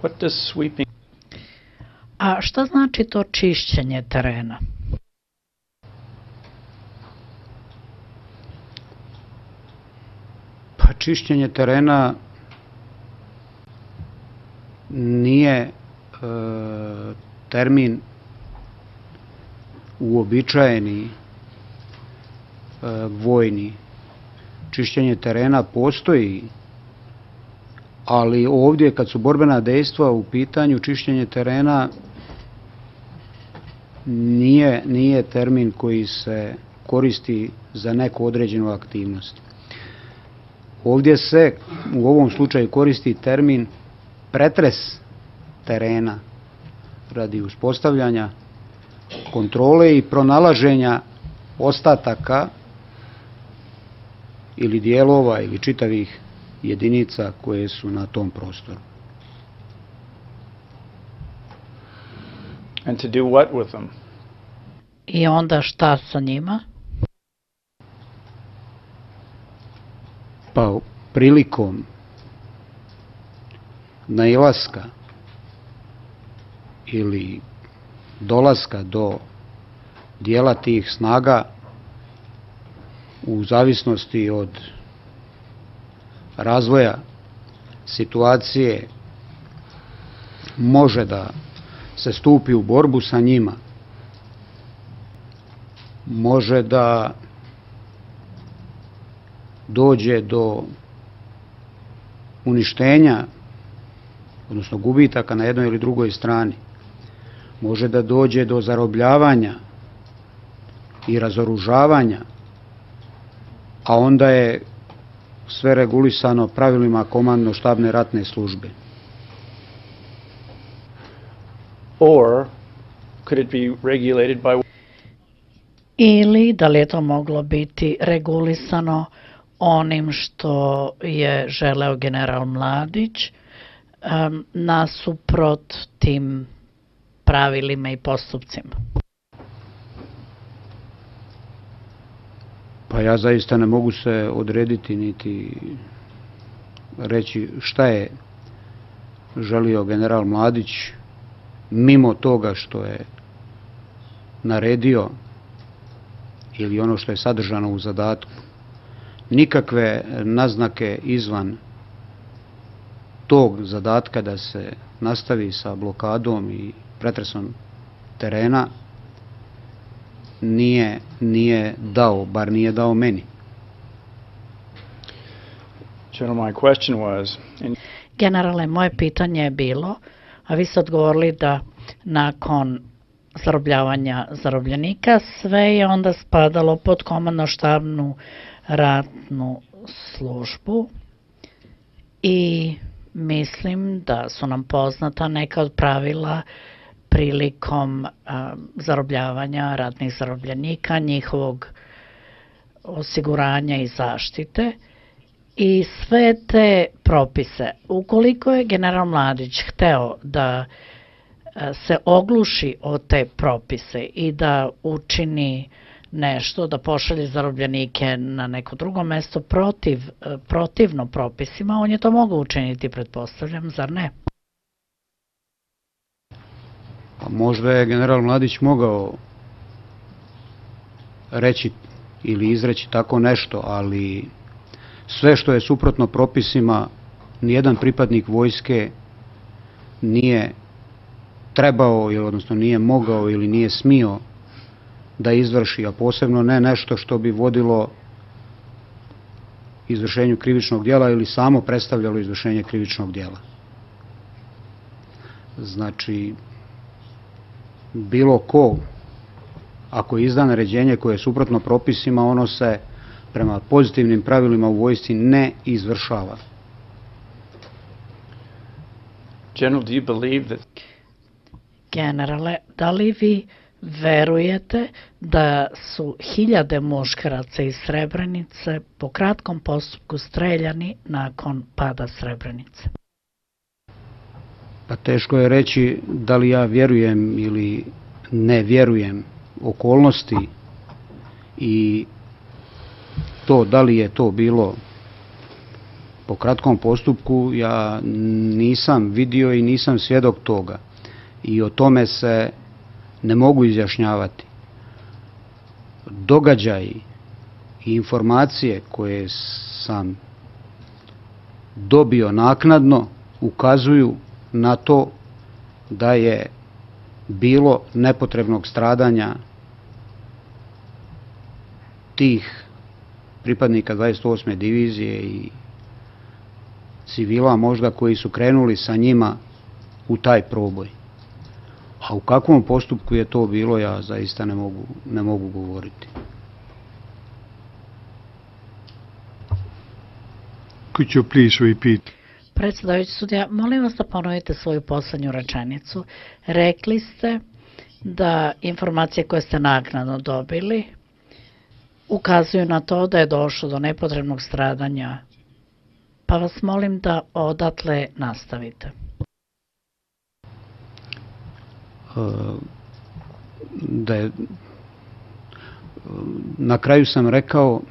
What does sweeping? A šta znači to čišćenje terena? Pa čišćenje terena nije termin uobičajeni vojni. Čišćenje terena postoji, ali ovdje kad su borbena dejstva u pitanju, čišćenje terena nije termin koji se koristi za neku određenu aktivnost. Ovdje se u ovom slučaju koristi termin pretres terena radi uspostavljanja kontrole i pronalaženja ostataka ili dijelova ili čitavih jedinica koje su na tom prostoru. And to do what with them? I onda šta sa njima? Pa prilikom nailaska ili dolaska do dijela tih snaga u zavisnosti od razvoja situacije može da se stupi u borbu sa njima, može da dođe do uništenja, odnosno gubitaka na jednoj ili drugoj strani, može da dođe do zarobljavanja i razoružavanja, a onda je sve regulisano pravilima komandno-štabne ratne službe. Or could it be regulated by? Ili da li je to moglo biti regulisano onim što je želeo general Mladić nasuprot tim pravilima i postupcima? Pa ja zaista ne mogu se odrediti niti reći šta je želio general Mladić mimo toga što je naredio ili ono što je sadržano u zadatku. Nikakve naznake izvan tog zadatka da se nastavi sa blokadom i pretresom terena nije dao, bar nije dao meni. General, my question was, Generale, moje pitanje je bilo, a vi ste odgovorili da nakon zarobljavanja zarobljenika sve je onda spadalo pod komandno-štabnu ratnu službu i mislim da su nam poznata neka od pravila prilikom zarobljavanja ratnih zarobljenika, njihovog osiguranja i zaštite i sve te propise. Ukoliko je general Mladić hteo da se ogluši o te propise i da učini nešto, da pošalje zarobljenike na neko drugo mesto protivno propisima, on je to mogao učiniti, pretpostavljam, zar ne? Pa možda je general Mladić mogao reći ili izreći tako nešto, ali sve što je suprotno propisima, nijedan pripadnik vojske nije trebao, odnosno nije mogao ili nije smio da izvrši, a posebno ne nešto što bi vodilo izvršenju krivičnog djela ili samo predstavljalo izvršenje krivičnog djela. Znači, bilo ko, ako izda naređenje koje je suprotno propisima, ono se prema pozitivnim pravilima u vojsci ne izvršava. General, do you believe that? Generale, da li vi verujete da su hiljade muškaraca iz Srebrenice po kratkom postupku streljani nakon pada Srebrenice? Pa teško je reći da li ja vjerujem ili ne vjerujem okolnosti i to da li je to bilo po kratkom postupku ja nisam vidio i nisam svjedok toga. I o tome se ne mogu izjašnjavati. Događaji i informacije koje sam dobio naknadno ukazuju na to da je bilo nepotrebnog stradanja tih pripadnika 28. divizije i civila možda koji su krenuli sa njima u taj proboj. A u kakvom postupku je to bilo, ja zaista ne mogu govoriti. Could you please repeat? Predsjedavajući sudija, molim vas da ponovite svoju poslednju rečenicu. Rekli ste da informacije koje ste naknadno dobili ukazuju na to da je došlo do nepotrebnog stradanja, pa vas molim da odatle nastavite. Na kraju sam rekao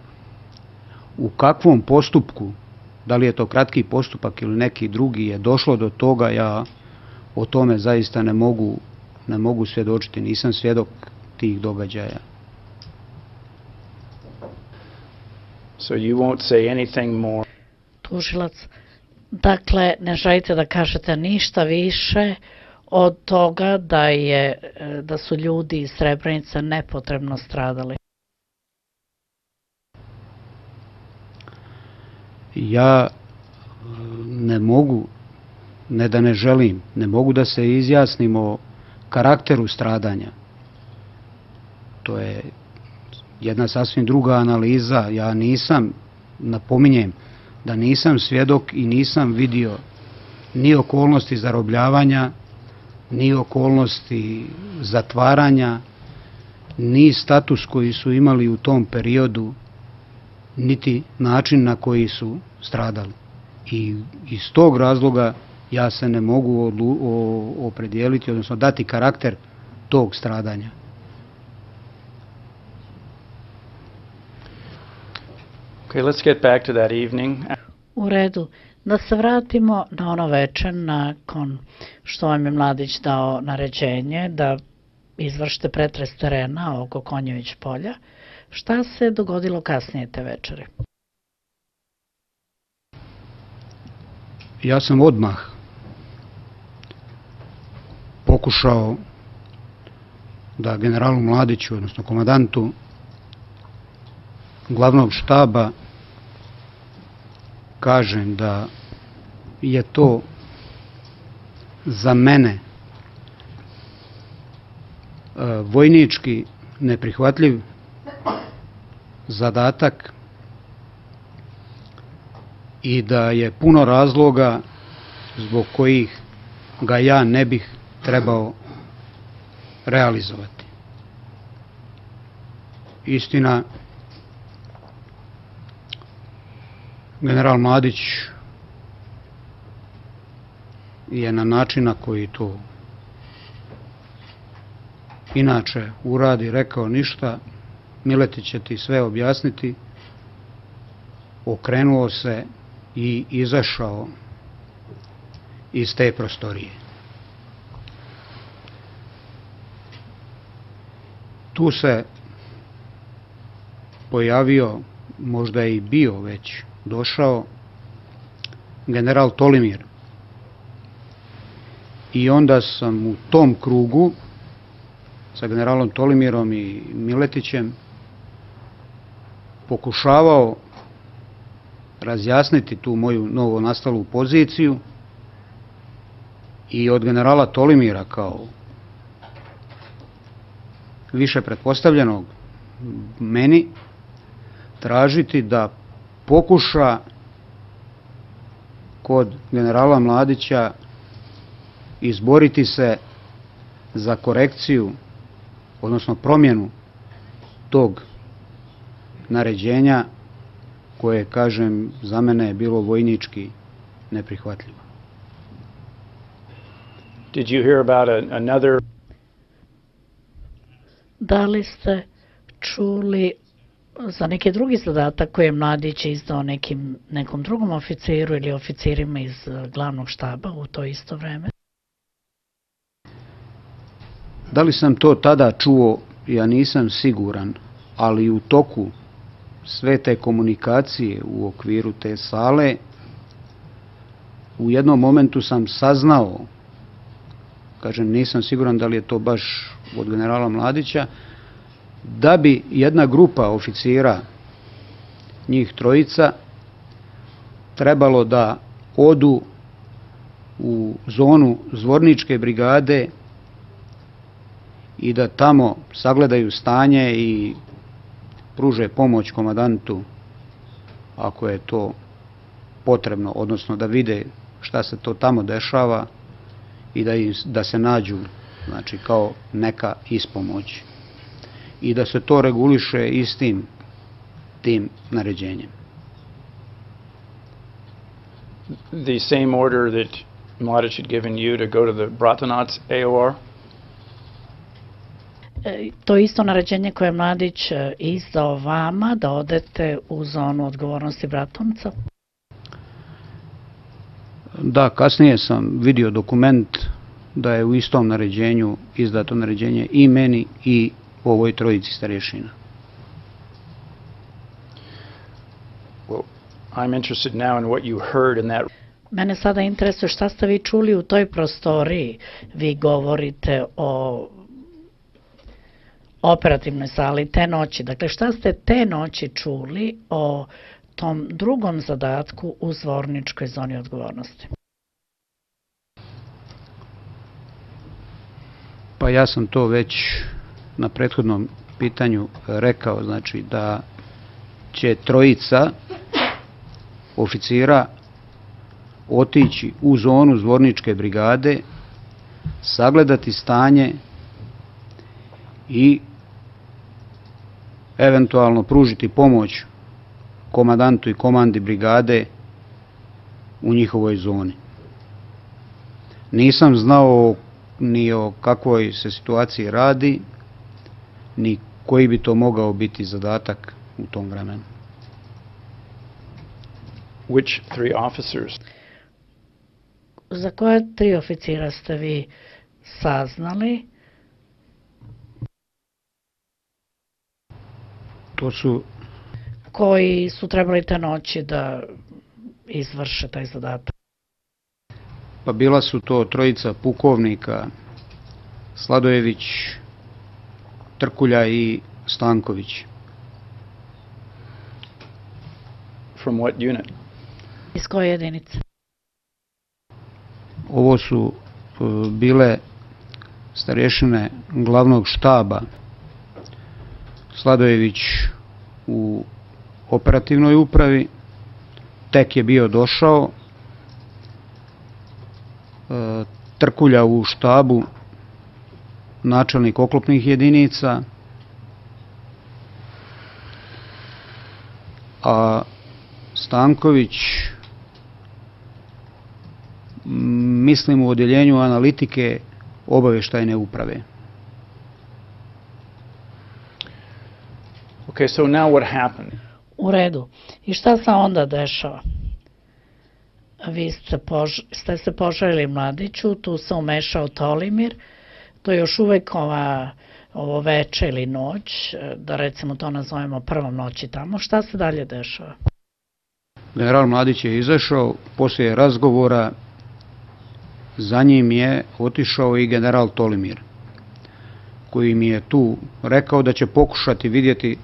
u kakvom postupku, da li je to kratki postupak ili neki drugi, je došlo do toga, ja o tome zaista ne mogu svjedočiti, nisam svjedok tih događaja. So you won't say anything more. Tužilac, dakle, ne želite da kažete ništa više od toga da su ljudi iz Srebrenice nepotrebno stradali. Ja ne mogu, ne da ne želim, ne mogu da se izjasnim o karakteru stradanja. To je jedna sasvim druga analiza. Ja nisam, napominjem, da nisam svjedok i nisam vidio ni okolnosti zarobljavanja, ni okolnosti zatvaranja, ni status koji su imali u tom periodu, niti način na koji su stradali. I iz tog razloga ja se ne mogu opredijeliti, odnosno dati karakter tog stradanja. Okay, let's get back to that evening. U redu, da se vratimo na ono večer nakon što vam je Mladić dao naređenje da izvršite pretres terena oko Konjović polja. Šta se dogodilo kasnije te večere? Ja sam odmah pokušao da generalu Mladiću, odnosno komandantu glavnog štaba, kažem da je to za mene vojnički neprihvatljiv zadatak i da je puno razloga zbog kojih ga ja ne bih trebao realizovati. Istina, general Mladić je na način na koji to inače uradi rekao: ništa, Miletić će ti sve objasniti. Okrenuo se i izašao iz te prostorije. Tu se pojavio, možda je i bio već došao, general Tolimir. I onda sam u tom krugu sa generalom Tolimirom i Miletićem pokušavao razjasniti tu moju novo nastalu poziciju i od generala Tolimira, kao više pretpostavljenog meni, tražiti da pokuša kod generala Mladića izboriti se za korekciju, odnosno promjenu tog naređenja koje, kažem, za mene je bilo vojnički neprihvatljivo. Did you hear about another? Da li ste čuli za neki drugi zadatak koji je mladić izdao nekom drugom oficiru ili oficirima iz glavnog štaba u to isto vreme? Da li sam to tada čuo, ja nisam siguran, ali u toku sve te komunikacije u okviru te sale, u jednom momentu sam saznao, kažem, nisam siguran da li je to baš od generala Mladića, da bi jedna grupa oficira, njih trojica, trebalo da odu u zonu Zvorničke brigade i da tamo sagledaju stanje i pruže pomoć komandantu ako je to potrebno, odnosno da vide šta se to tamo dešava i da se nađu, znači, kao neka ispomoć i da se to reguliše istim tim naređenjem. The same order that Mladić had given you to go to the Bratunac AOR? To isto naređenje koje je Mladić izdao vama da odete u zonu odgovornosti Bratunca? Da, kasnije sam vidio dokument da je u istom naređenju izdato naređenje i meni i ovoj trojici starješina. Well, I'm interested now in what you heard in that. Mene sada interesuje šta ste vi čuli u toj prostoriji. Vi govorite o operativnoj sali te noći. Dakle, šta ste te noći čuli o tom drugom zadatku u Zvorničkoj zoni odgovornosti? Pa ja sam to već na prethodnom pitanju rekao, znači da će trojica oficira otići u zonu Zvorničke brigade, sagledati stanje i eventualno pružiti pomoć komandantu i komandi brigade u njihovoj zoni. Nisam znao ni o kakvoj se situaciji radi, ni koji bi to mogao biti zadatak u tom vremenu. Which three officers? Za koje tri oficira ste vi saznali? To su... Koji su trebali te noći da izvrše taj zadatak? Pa bila su to trojica pukovnika, Sladojević, Trkulja i Stanković. From what unit? Iz koje jedinice? Ovo su bile starješine glavnog štaba. Sladojević u operativnoj upravi, tek je bio došao, Trkulja u štabu, načelnik oklopnih jedinica, a Stanković, mislim, u odjeljenju analitike obavještajne uprave. Okay, so now what happened? U redu. I šta se onda dešava? Vi ste se požalili Mladiću, tu se umešao Tolimir, to je još uvek ovo veče ili noć, da recimo to nazovemo prvom noći tamo. Šta se dalje dešava? General Mladić je izašao, poslije razgovora za njim je otišao i general Tolimir, koji mi je tu rekao da će pokušati vidjeti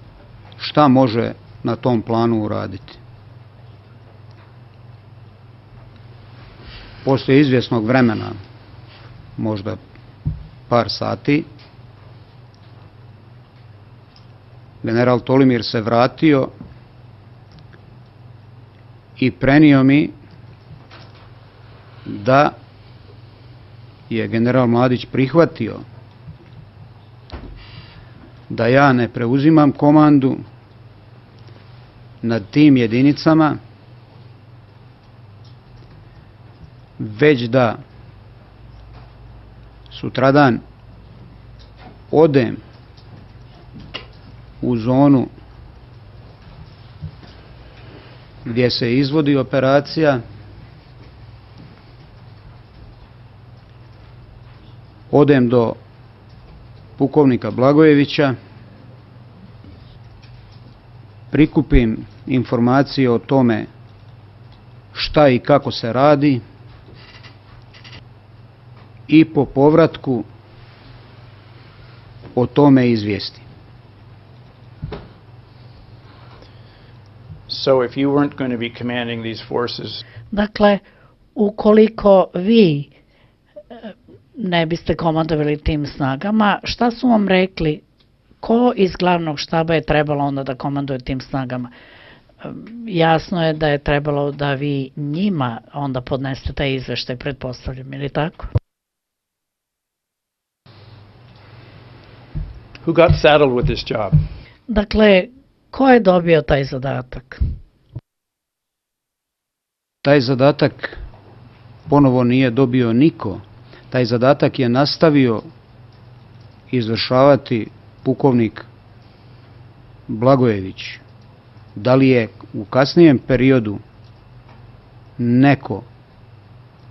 šta može na tom planu uraditi. Poslije izvjesnog vremena, možda par sati, general Tolimir se vratio i prenio mi da je general Mladić prihvatio da ja ne preuzimam komandu nad tim jedinicama, već da sutradan odem u zonu gdje se izvodi operacija, odem do pukovnika Blagojevića, prikupim informacije o tome šta i kako se radi i po povratku o tome izvijestim. So if you weren't going to be commanding these forces, Dakle, ukoliko vi ne biste komandovali tim snagama, šta su vam rekli? Ko iz glavnog štaba je trebalo onda da komanduje tim snagama? Jasno je da je trebalo da vi njima onda podnesete taj izveštaj, pretpostavljam, ili tako? who got saddled with this job? Dakle, ko je dobio taj zadatak? Taj zadatak ponovo nije dobio niko. Taj zadatak je nastavio izvršavati pukovnik Blagojević. Da li je u kasnijem periodu neko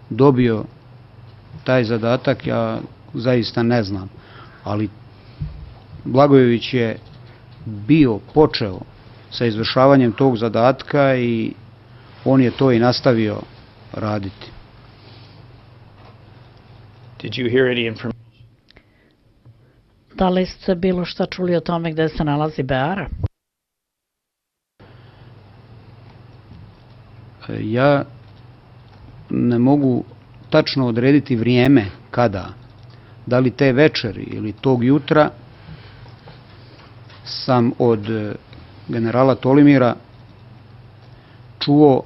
dobio taj zadatak, ja zaista ne znam. Ali Blagojević je počeo sa izvršavanjem tog zadatka i on je to i nastavio raditi. Did you hear any information? Da li ste bilo šta čuli o tome gde se nalazi Beara? Ja ne mogu tačno odrediti vrijeme kada, da li te večeri ili tog jutra, sam od generala Tolimira čuo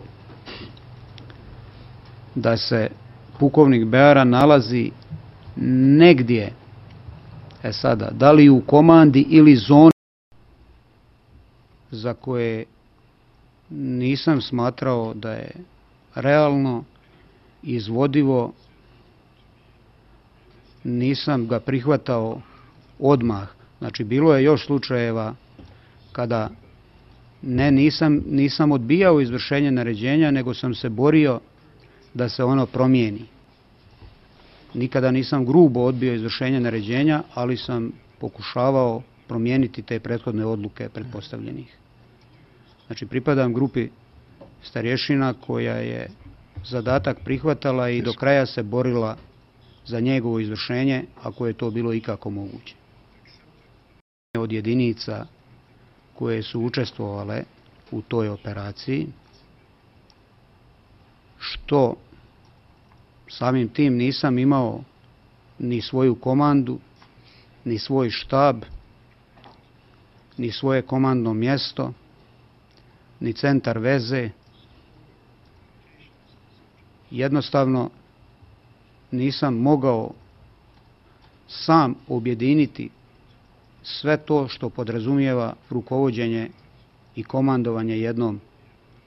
da se pukovnik Beara nalazi negdje, sada, da li u komandi ili zoni za koje nisam smatrao da je realno izvodivo, nisam ga prihvatao odmah. Znači, bilo je još slučajeva kada nisam odbijao izvršenje naređenja, nego sam se borio da se ono promijeni. Nikada nisam grubo odbio izvršenje naređenja, ali sam pokušavao promijeniti te prethodne odluke pretpostavljenih. Znači, pripadam grupi starješina koja je zadatak prihvatala i do kraja se borila za njegovo izvršenje, ako je to bilo ikako moguće. Od jedinica koje su učestvovale u toj operaciji, što samim tim nisam imao ni svoju komandu, ni svoj štab, ni svoje komandno mjesto, ni centar veze. Jednostavno nisam mogao sam objediniti sve to što podrazumijeva rukovođenje i komandovanje jednom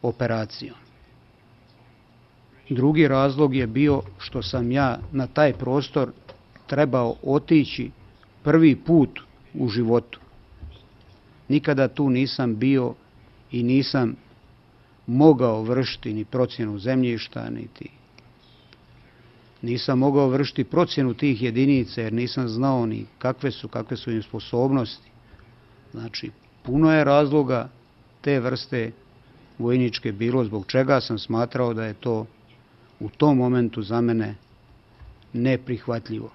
operacijom. Drugi razlog je bio što sam ja na taj prostor trebao otići prvi put u životu. Nikada tu nisam bio i nisam mogao vršiti ni procjenu zemljišta, niti nisam mogao vršiti procjenu tih jedinica, jer nisam znao ni kakve su im sposobnosti. Znači, puno je razloga te vrste vojničke bilo, zbog čega sam smatrao da je to u tom momentu za mene neprihvatljivo.